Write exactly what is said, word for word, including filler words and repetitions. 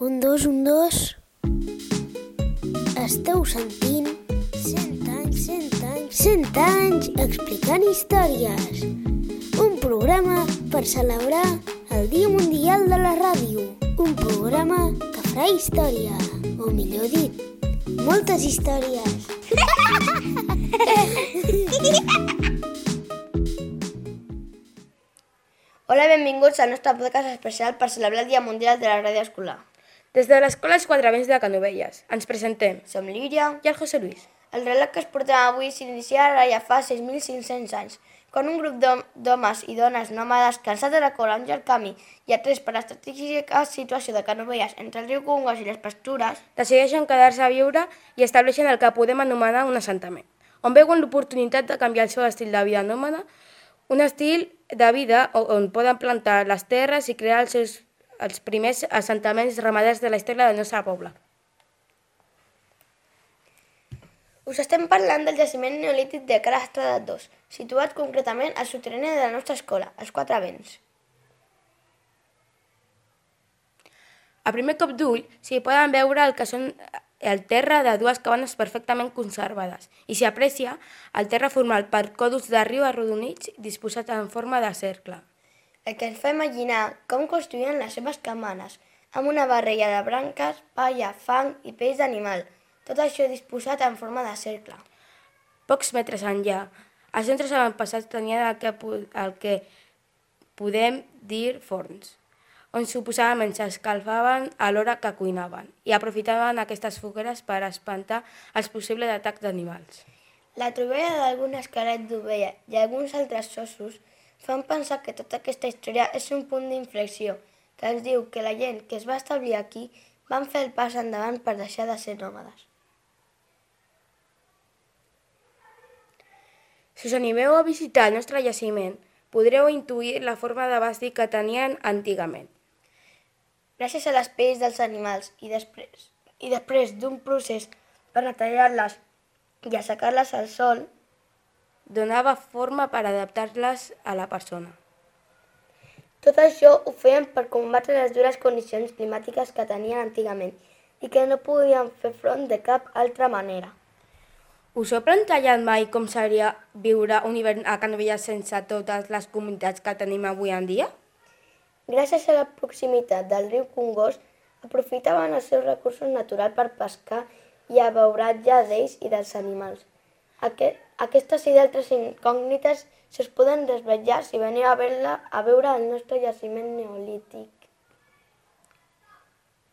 Un, dos, un, dos. Esteu sentint cent anys, cent anys, cent anys explicant històries. Un programa per celebrar el Dia Mundial de la Ràdio. Un programa que farà història, o millor dit, moltes històries. Hola i benvinguts al nostre podcast especial per celebrar el Dia Mundial de la Ràdio Escolar. Des de l'Escola Els Quatre Vents de Canovelles, ens presentem Som l'Íria i el José Luis. El relat que es portem avui s'inicia ara ja fa sis mil cinc-cents anys, quan un grup d'homes i dones nòmades cansats de recórrer un llarg camí i atrets per l'estratègica situació de Canovelles entre el riu Congost i les pastures, decideixen quedar-se a viure i estableixen el que podem anomenar un assentament, on veuen l'oportunitat de canviar el seu estil de vida nòmada, un estil de vida on poden plantar les terres i crear els seus els primers assentaments ramaders de la història del nostre poble. Us estem parlant del jaciment neolític de Cal Estrada dos, situat concretament al soterrani de la nostra escola, els Quatre Vents. A primer cop d'ull s'hi poden veure el que són el terra de dues cabanes perfectament conservades i s'hi aprecia el terra format per còdols de riu arrodonits disposats en forma de cercle. El que ens fa imaginar com construïen les seves cabanes, amb una barreja de branques, palla, fang i pells d'animal, tot això disposat en forma de cercle. Pocs metres enllà, els centres avantpassats tenien el que, el que podem dir forns, on suposadament s'escalfaven a l'hora que cuinaven i aprofitaven aquestes fogueres per espantar els possibles atacs d'animals. La troballa d'algun esquelet d'ovella i alguns altres ossos fan pensar que tota aquesta història és un punt d'inflexió, que ens diu que la gent que es va establir aquí van fer el pas endavant per deixar de ser nòmades. Si us animeu a visitar el nostre jaciment, podreu intuir la forma de bàstic que tenien antigament. Gràcies a les pells dels animals i després, i després d'un procés per netejar-les i assecar-les al sol, donava forma per adaptar-les a la persona. Tot això ho feien per combatre les dures condicions climàtiques que tenien antigament i que no podien fer front de cap altra manera. Us heu plantejat mai com seria viure un hivern a Canovelles sense totes les comunitats que tenim avui en dia? Gràcies a la proximitat del riu Congost, aprofitaven els seus recursos naturals per pescar i abeuratge d'ells i dels animals. Aquest, aquestes i d'altres incògnites se'ls poden desvetllar si veniu a veure el nostre jaciment neolític.